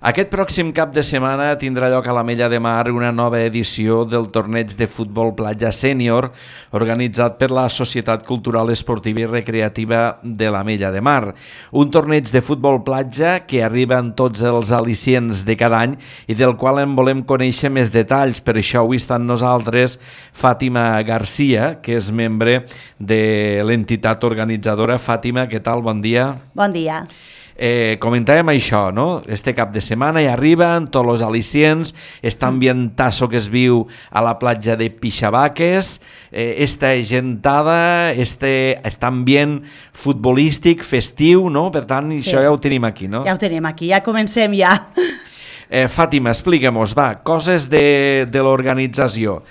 Aquest pròxim cap de setmana tindrà lloc a l'Ametlla de Mar una nova edició del torneig de futbol platja sènior organitzat per la Societat Cultural Esportiva i Recreativa de l'Ametlla de Mar. Un torneig de futbol platja que arriba en tots els al·licients de cada any i del qual en volem conèixer més detalls. Per això avui està amb nosaltres Fàtima Garcia, que és membre de l'entitat organitzadora. Fàtima, què tal? Bon dia. Bon dia. Comentàvem això, no? Este cap de setmana hi arriben tots els al·licients, este ambientazo que es viu a la platja de Pixabaques, esta gentada, este ambient futbolístic, festiu, no? Per tant, això ja ho tenim aquí, no? Ja ho tenim aquí, ja comencem ja. Fàtima, explica-mos, va, coses de l'organització.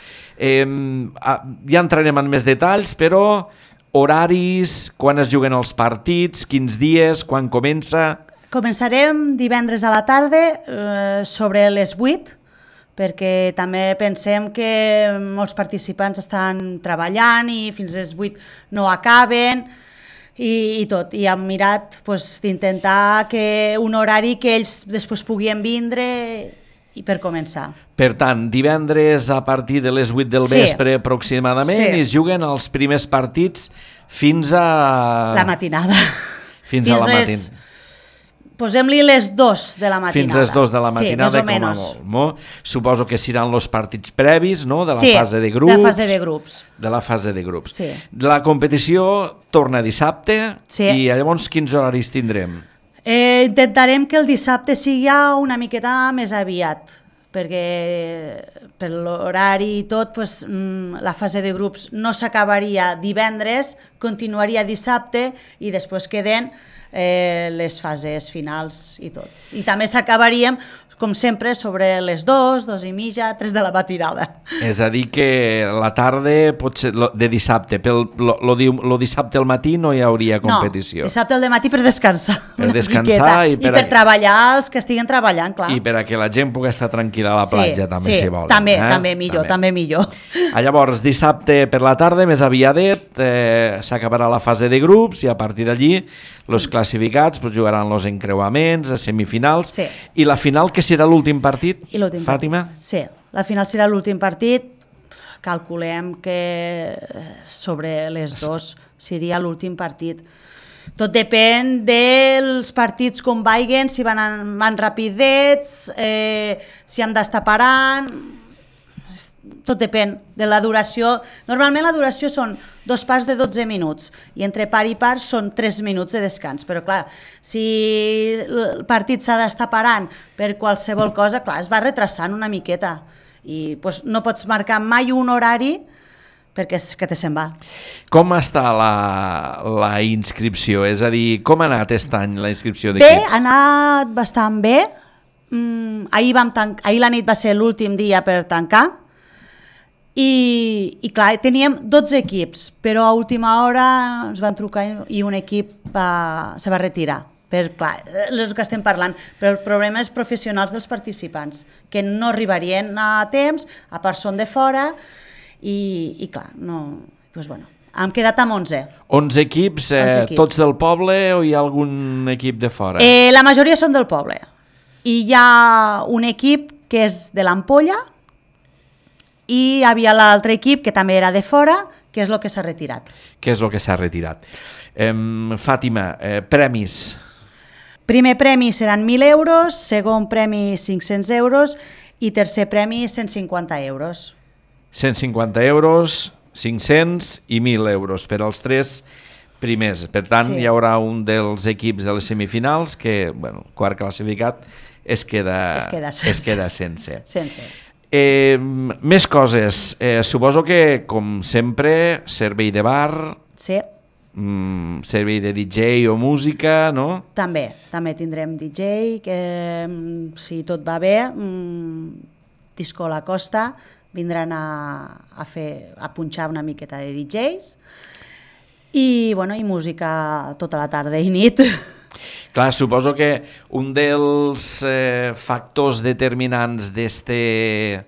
Ja entrarem en més detalls, però horaris, quan es juguen els partits, quins dies, quan comença? Començarem divendres a la tarda sobre les 8, perquè també pensem que molts participants estan treballant i fins les 8 no acaben i tot. I hem mirat d'intentar que un horari que ells després puguin vindre i per començar. Per tant, divendres a partir de les 8 del vespre aproximadament i es juguen els primers partits fins a... La matinada. Fins a la matinada. Posem-li les 2 de la matinada. Fins les 2 de la matinada, com a molt. Suposo que seran els partits previs, no?, de la fase de grups. Sí, de la fase de grups. De la fase de grups. Sí. La competició torna dissabte i llavors quins horaris tindrem? Intentarem que el dissabte sigui una miqueta més aviat, perquè per l'horari i tot, la fase de grups no s'acabaria divendres, continuaria dissabte i després queden les fases finals i tot. I també s'acabaríem, com sempre, sobre les 2, 2 i mitja, 3 de la matinada. És a dir que la tarda pot ser de dissabte, lo dissabte al matí no hi hauria competició. No, dissabte al matí per descansar. Per descansar i per treballar els que estiguen treballant, clar. I per a que la gent pugui estar tranquil·la a la platja, també, si volen. També millor. Llavors, dissabte per la tarda, més aviadet, s'acabarà la fase de grups i a partir d'allí els classificats jugaran els encreuaments, les semifinals i la final, que serà l'últim partit, Fàtima? Sí, la final serà l'últim partit. Calculem que sobre les 2 seria l'últim partit. Tot depèn dels partits com vagin, si van rapidets, si hem d'estar parant... Tot depèn de la duració. Normalment la duració són 2 parts de 12 minuts i entre part i part són 3 minuts de descans. Però clar, si el partit s'ha d'estar parant per qualsevol cosa, clar, es va retrasant una miqueta i no pots marcar mai un horari perquè és que te se'n va. Com està la inscripció? És a dir, com ha anat aquest any la inscripció d'equips? Bé, ha anat bastant bé. Ahir la nit va ser l'últim dia per tancar i clar, teníem 12 equips, però a última hora ens van trucar i un equip se va retirar. Clar, és el que estem parlant, però el problema és professionals dels participants, que no arribarien a temps, a part són de fora i clar, hem quedat amb 11. 11 equips, tots del poble o hi ha algun equip de fora? La majoria són del poble. I hi ha un equip que és de l'Ampolla i hi havia l'altre equip que també era de fora, que és el que s'ha retirat. Fàtima, premis? Primer premi seran 1.000 euros, segon premi 500 euros i tercer premi 150 euros. 150 euros, 500 i 1.000 euros per als 3 primers. Per tant, hi haurà un dels equips de les semifinals que, quart classificat, es queda sense. Més coses. Suposo que, com sempre, servei de bar, servei de DJ o música, no? També tindrem DJ, que si tot va bé, Disco La Costa vindran a punxar una miqueta de DJs i música tota la tarda i nit. Clar, suposo que un dels factors determinants d'este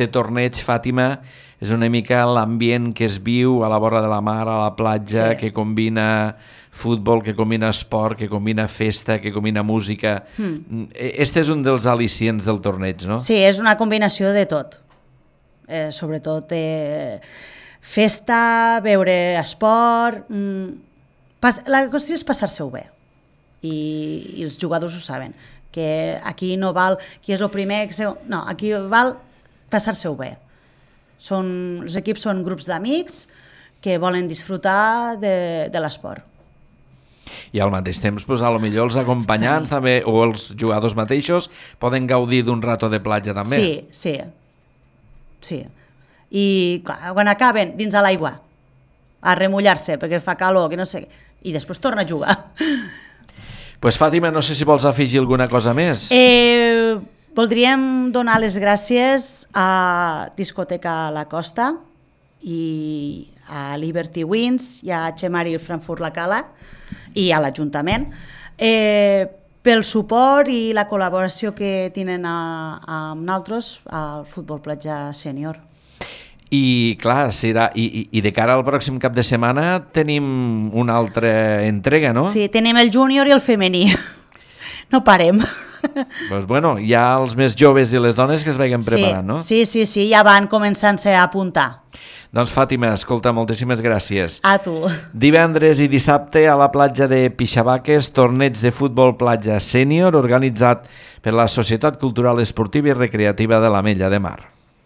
torneig, Fàtima, és una mica l'ambient que es viu a la vora de la mar, a la platja, que combina futbol, que combina esport, que combina festa, que combina música. Este és un dels al·licients del torneig, no? Sí, és una combinació de tot. Sobretot festa, veure esport... La qüestió és passar-se-ho bé. I els jugadors ho saben, que aquí no val qui és el primer, no, aquí val passar-se-ho bé. Els equips són grups d'amics que volen disfrutar de l'esport. I al mateix temps, doncs, a lo millor els acompanyants també, o els jugadors mateixos poden gaudir d'un rato de platja també. Sí. I clar, quan acaben dins a l'aigua a remullar-se perquè fa calor, que no sé, i després torna a jugar. Pues Fàtima, no sé si vols afegir alguna cosa més. Voldríem donar les gràcies a Discoteca La Costa i a Liberty Wings i a Xemari Frankfurt La Cala i a l'Ajuntament pel suport i la col·laboració que tenen amb nosaltres al Futbol Platja Sènior. I clar, i de cara al pròxim cap de setmana tenim una altra entrega, no? Sí, tenim el júnior i el femení. No parem. Doncs bueno, hi ha els més joves i les dones que es vagin preparant, no? Sí, ja van començant-se a apuntar. Doncs Fàtima, escolta, moltíssimes gràcies. A tu. Divendres i dissabte a la platja de Pixabaques, torneig de futbol platja sènior organitzat per la Societat Cultural Esportiva i Recreativa de l'Ametlla de Mar.